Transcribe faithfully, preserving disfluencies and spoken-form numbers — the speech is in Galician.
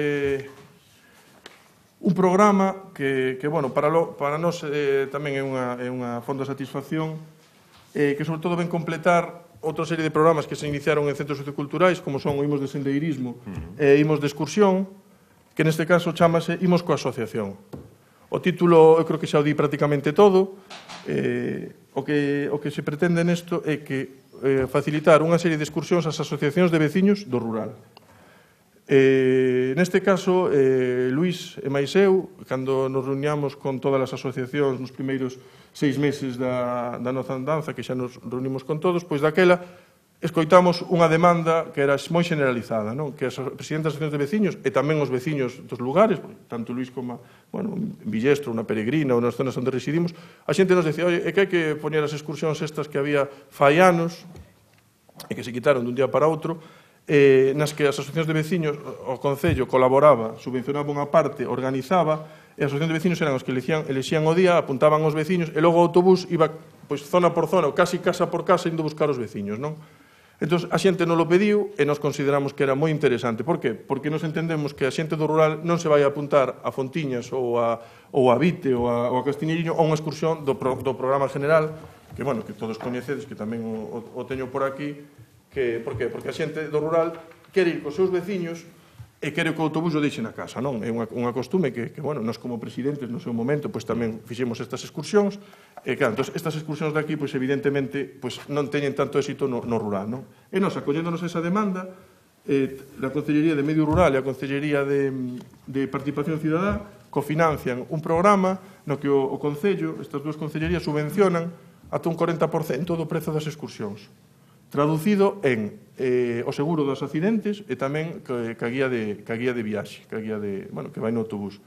Eh, un programa que, que bueno, para, lo, para nós eh, tamén é unha, é unha fonda de satisfacción, eh, que sobre todo ven completar outra serie de programas que se iniciaron en centros socioculturais, como son o Imos de Sendeirismo uh-huh. e Imos de Excursión, que neste caso chamase Imos coa Asociación. O título, eu creo que xa o di prácticamente todo. Eh, o, que, o que se pretende nesto é que eh, facilitar unha serie de excursións ás asociacións de veciños do rural. Eh, neste caso, eh, Luís e máis eu, cando nos reuniamos con todas as asociacións nos primeiros seis meses da, da nosa andanza, que xa nos reunimos con todos, pois daquela escoitamos unha demanda que era moi generalizada, non? Que as presidentas das asociacións de veciños e tamén os veciños dos lugares, tanto Luís como, bueno, en Villestro, unha peregrina ou nas zonas onde residimos, a xente nos decía, oi, é que hai que poñer as excursións estas que había fai anos e que se quitaron dun día para outro, eh, nas que as asociacións de veciños, o Concello colaboraba, subvencionaba unha parte, organizaba, e as asociacións de veciños eran os que elixían, elixían o día, apuntaban os veciños, e logo o autobús iba pois, zona por zona, ou casi casa por casa, indo buscar os veciños, non? Entón, a xente non lo pediu e nos consideramos que era moi interesante. Por que? Porque nos entendemos que a xente do rural non se vai a apuntar a Fontiñas ou a, ou a Vite ou a, ou a Castiñeiriño a unha excursión do, pro, do programa general, que, bueno, que todos coñecedes, que tamén o, o, o teño por aquí. Que, por qué? Porque a xente do rural quere ir cos seus veciños e quere que o autobús o deixe na casa, non? É unha, unha costume que, que, bueno, nós como presidentes no seu momento, pois tamén fixemos estas excursións, e claro, entón, estas excursións de aquí, pois evidentemente, pois non teñen tanto éxito no, no rural, non? E nós, acolléndonos esa demanda, eh, a Concellería de Medio Rural e a Concellería de, de Participación Cidadá cofinancian un programa no que o, o Concello, estas dúas concellerías, subvencionan ata un corenta por cento do prezo das excursións, traducido en eh, o seguro dos accidentes e tamén ca guía de, ca guía de viaxe, ca guía de, bueno, que vai no autobús.